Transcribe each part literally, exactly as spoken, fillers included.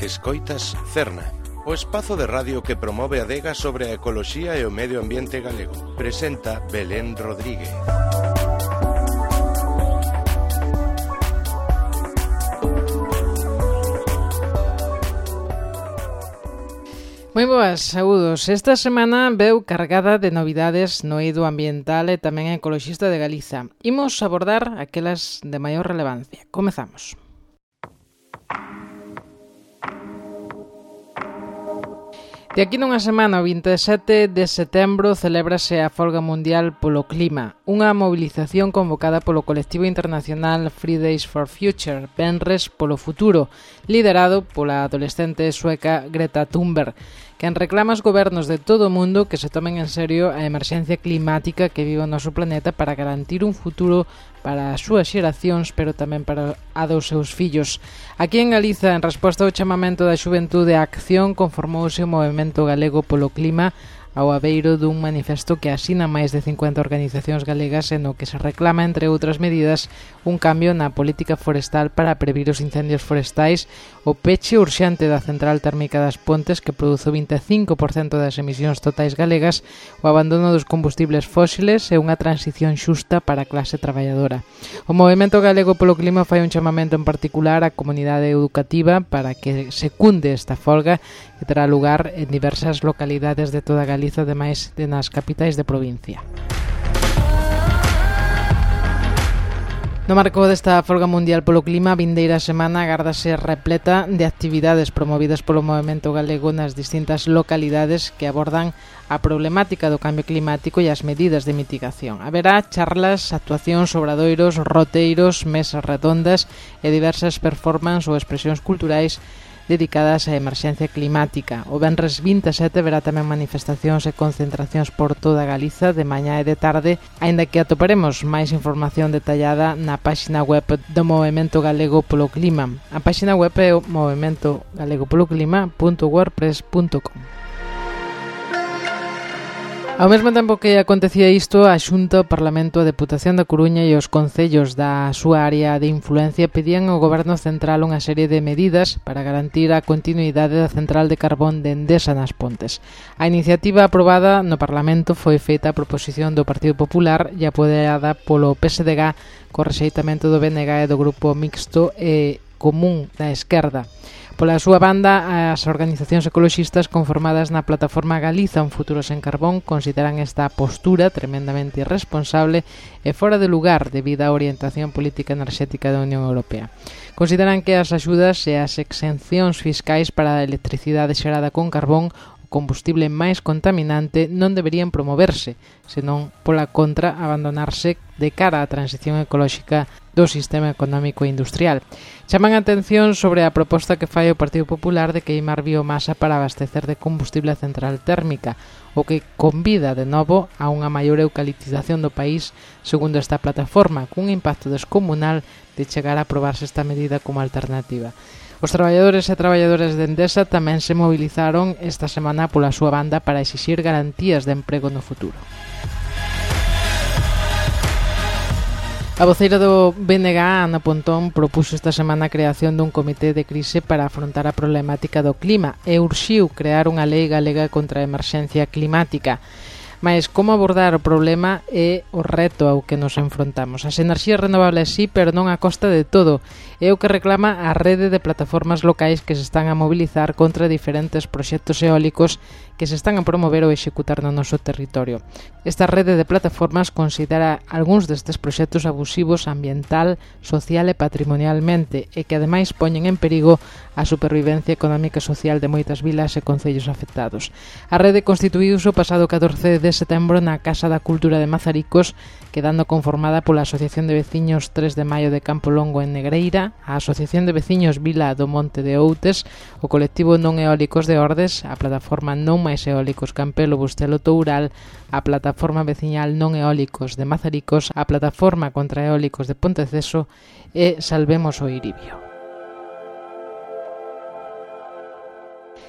Escoitas Cerna, o espazo de radio que promove a adega sobre a ecoloxía e o medio ambiente galego. Presenta Belén Rodríguez. Moi boas, saúdos. Esta semana veu cargada de novidades no eido ambiental e tamén ecoloxista de Galiza. Imos abordar aquelas de maior relevancia. Comezamos. De aquí nunha semana, o vinte e sete de setembro, celébrase a Folga Mundial polo Clima, unha mobilización convocada polo colectivo internacional Fridays for Future, Venres polo Futuro, liderado pola adolescente sueca Greta Thunberg, quen reclama aos gobernos de todo o mundo que se tomen en serio a emerxencia climática que vive o noso planeta para garantir un futuro para as súas xeracións, pero tamén para a dos seus fillos. Aquí en Galiza, en resposta ao chamamento da xuventude á acción, conformouse o Movemento Galego polo Clima ao abeiro dun manifesto que asina máis de cincuenta organizacións galegas e no que se reclama, entre outras medidas, un cambio na política forestal para previr os incendios forestais, o peche urxente da central térmica das Pontes que produzo vinte e cinco por cento das emisións totais galegas, o abandono dos combustibles fósiles e unha transición xusta para a clase traballadora. O Movemento Galego polo Clima fai un chamamento en particular á comunidade educativa para que secunde esta folga que terá lugar en diversas localidades de toda Galiza, ademais de nas capitais de provincia. No marco desta Folga Mundial polo Clima, a vindeira semana agárdase repleta de actividades promovidas polo Movemento Galego nas distintas localidades que abordan a problemática do cambio climático e as medidas de mitigación. Haberá charlas, actuacións, obradoiros, roteiros, mesas redondas e diversas performances ou expresións culturais dedicadas á emerxencia climática. O venres vinte e sete verá tamén manifestacións e concentracións por toda Galiza de mañá e de tarde, aínda que atoparemos máis información detallada na páxina web do Movemento Galego polo Clima. A páxina web é o movemento galego polo clima punto wordpress punto com. Ao mesmo tempo que acontecía isto, a Xunta, o Parlamento, a Deputación da Coruña e os concellos da súa área de influencia pedían ao Goberno Central unha serie de medidas para garantir a continuidade da central de carbón de Endesa nas Pontes. A iniciativa aprobada no Parlamento foi feita a proposición do Partido Popular e apoiada polo P S D G co rexeitamento do B N G e do Grupo Mixto e Común da Esquerda. Pola súa banda, as organizacións ecoloxistas conformadas na plataforma Galiza un futuro sen carbón consideran esta postura tremendamente irresponsable e fora de lugar debido á orientación política enerxética da Unión Europea. Consideran que as axudas e as exencións fiscais para a electricidade xerada con carbón, o combustible máis contaminante, non deberían promoverse, senón pola contra abandonarse de cara á transición ecolóxica do sistema económico e industrial. Chaman a atención sobre a proposta que fai o Partido Popular de queimar biomasa para abastecer de combustible a central térmica, o que convida de novo a unha maior eucaliptización do país, segundo esta plataforma, cun impacto descomunal de chegar a aprobarse esta medida como alternativa. Os traballadores e traballadoras de Endesa tamén se movilizaron esta semana pola súa banda para exixir garantías de emprego no futuro. A voceira do B N G, Ana Pontón, propuxo esta semana a creación dun comité de crise para afrontar a problemática do clima e urxiu crear unha lei galega contra a emerxencia climática. Mais como abordar o problema é o reto ao que nos enfrontamos. As enerxías renovables sí, pero non a costa de todo. É o que reclama a rede de plataformas locais que se están a mobilizar contra diferentes proxectos eólicos que se están a promover ou executar no noso territorio. Esta rede de plataformas considera algúns destes proxectos abusivos ambiental, social e patrimonialmente e que ademais poñen en perigo a supervivencia económica e social de moitas vilas e concellos afectados. A rede constituíuse o pasado catorce de setembro na Casa da Cultura de Mazaricos, quedando conformada pola Asociación de Veciños tres de Maio de Campo Longo en Negreira, a Asociación de Veciños Vila do Monte de Outes, o colectivo Non Eólicos de Ordes, a plataforma Non Máis Eólicos Campelo Bustelo Toural, a plataforma veciñal Non Eólicos de Mazaricos, a plataforma contra eólicos de Ponteceso e Salvemos o Iribio.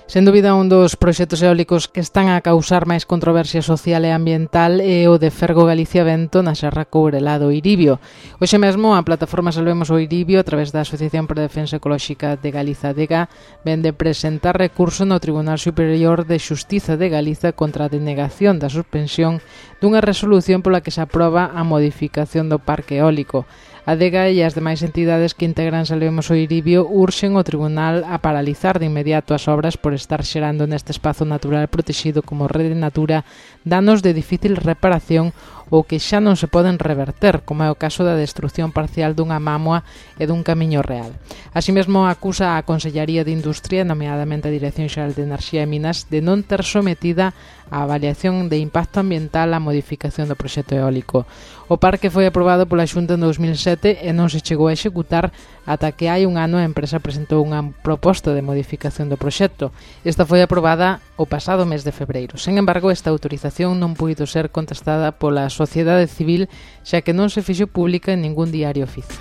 Sen dúbida, un dos proxectos eólicos que están a causar máis controversia social e ambiental é o de Fergo Galicia Vento na Serra Courelá do Iribio. Hoxe mesmo, a plataforma Salvemos o Iribio, a través da Asociación para a Defensa Ecolóxica de Galiza, ADEGA, vende presentar recurso no Tribunal Superior de Xustiza de Galiza contra a denegación da suspensión dunha resolución pola que se aproba a modificación do parque eólico. A ADEGA e as demais entidades que integran Salvemos o Iribio urxen o tribunal a paralizar de inmediato as obras por estar xerando neste espazo natural protexido como Rede Natura danos de difícil reparación ou que xa non se poden reverter, como é o caso da destrucción parcial dunha mámoa e dun camiño real. Así mesmo acusa a Consellaría de Industria, nomeadamente a Dirección Xeral de Enerxía e Minas, de non ter sometida a avaliación de impacto ambiental á modificación do proxecto eólico. O parque foi aprobado pola Xunta en dous mil sete e non se chegou a executar ata que hai un ano a empresa presentou unha proposta de modificación do proxecto. Esta foi aprobada o pasado mes de febreiro. Sen embargo, esta autorización non puido ser contestada pola sociedade civil, xa que non se fixo pública en ningún diario oficial.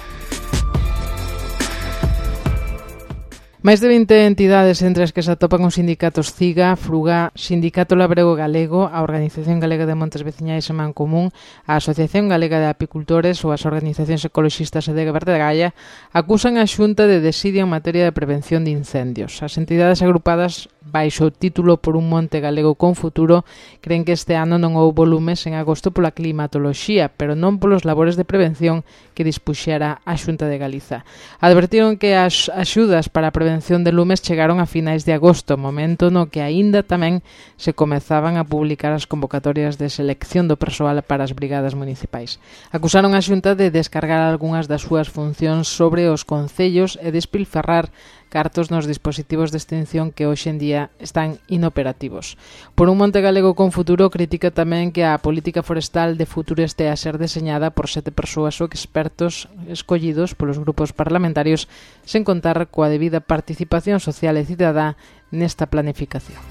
Máis de vinte entidades entre as que se atopan os sindicatos CIGA, FRUGA, Sindicato Labrego Galego, a Organización Galega de Montes Veciñais e Mancomún, a Asociación Galega de Apicultores ou as organizacións ecoloxistas ADEGA Verde Gaia acusan a Xunta de desidia en materia de prevención de incendios. As entidades agrupadas baixo o título Por un monte galego con futuro creen que este ano non houbo lumes en agosto pola climatoloxía, pero non polos labores de prevención que dispuxera a Xunta de Galiza. Advertiron que as axudas para a prevención de lumes chegaron a finais de agosto, momento no que aínda tamén se comezaban a publicar as convocatorias de selección do persoal para as brigadas municipais. Acusaron a Xunta de descargar algunhas das súas funcións sobre os concellos e despilfarrar cartos nos dispositivos de extinción que hoxe en día están inoperativos. Por un monte galego con futuro critica tamén que a política forestal de futuro este a ser deseñada por sete persoas ou expertos escollidos polos grupos parlamentarios sen contar coa debida participación social e cidadá nesta planificación.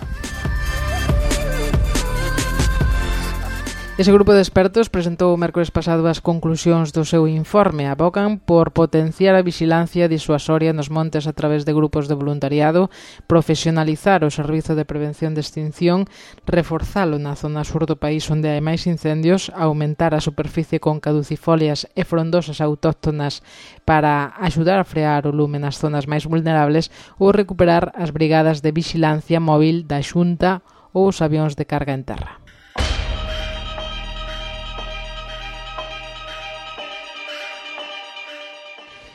Ese grupo de expertos presentou o mércores pasado as conclusións do seu informe. Abocan por potenciar a vixilancia disuasoria nos montes a través de grupos de voluntariado, profesionalizar o servizo de prevención de extinción, reforzalo na zona sur do país onde hai máis incendios, aumentar a superficie con caducifolias e frondosas autóctonas para axudar a frear o lume nas zonas máis vulnerables ou recuperar as brigadas de vixilancia móvil da Xunta ou os avións de carga en terra.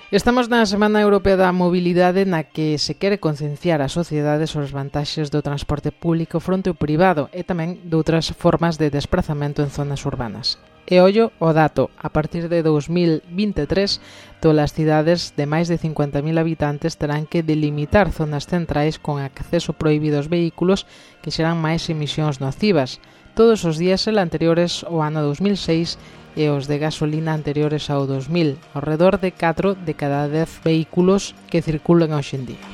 Estamos na Semana Europea da Mobilidade na que se quere concienciar a sociedade sobre os vantaxes do transporte público fronte ao privado e tamén de outras formas de desplazamento en zonas urbanas. E ollo o dato, a partir de dous mil vinte e tres, todas as cidades de máis de cincuenta mil habitantes terán que delimitar zonas centrais con acceso prohibido aos vehículos que xeran máis emisións nocivas. Todos os diésel anteriores ao ano dous mil seis e os de gasolina anteriores ao dos mil, ao redor de catro de cada dez vehículos que circulan hoxe en día.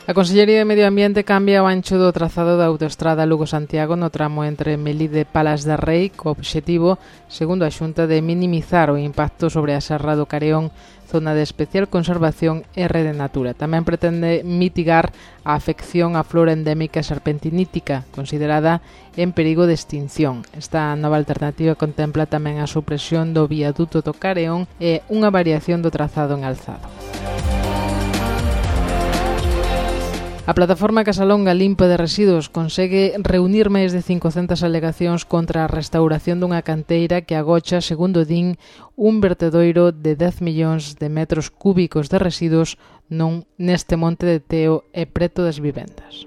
A Consellería de Medio Ambiente cambia o ancho do trazado da autoestrada Lugo-Santiago no tramo entre Melide e Palas de Rei co obxectivo, segundo a Xunta, de minimizar o impacto sobre a Serra do Careón, zona de especial conservación e Rede Natura. Tamén pretende mitigar a afección á flora endémica serpentinítica, considerada en perigo de extinción. Esta nova alternativa contempla tamén a supresión do viaduto do Careón e unha variación do trazado en alzado. A plataforma Casalonga Limpa de Residuos consegue reunir máis de cincocentas alegacións contra a restauración dunha canteira que agocha, segundo din, un vertedoiro de dez millóns de metros cúbicos de residuos non neste monte de Teo e preto das vivendas.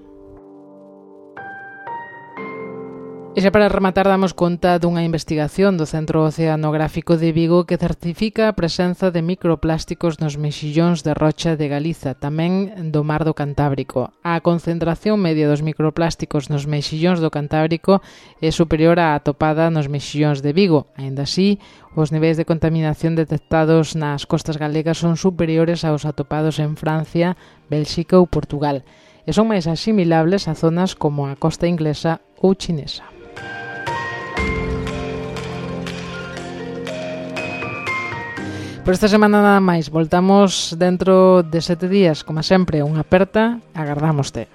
E xa para rematar damos conta dunha investigación do Centro Oceanográfico de Vigo que certifica a presenza de microplásticos nos mexillóns de rocha de Galiza, tamén do mar do Cantábrico. A concentración media dos microplásticos nos mexillóns do Cantábrico é superior á atopada nos mexillóns de Vigo. Aínda así, os niveis de contaminación detectados nas costas galegas son superiores aos atopados en Francia, Bélxica ou Portugal, e son máis asimilables a zonas como a costa inglesa ou chinesa. Por esta semana nada máis. Voltamos dentro de sete días, como sempre, unha aperta. Agardámoste.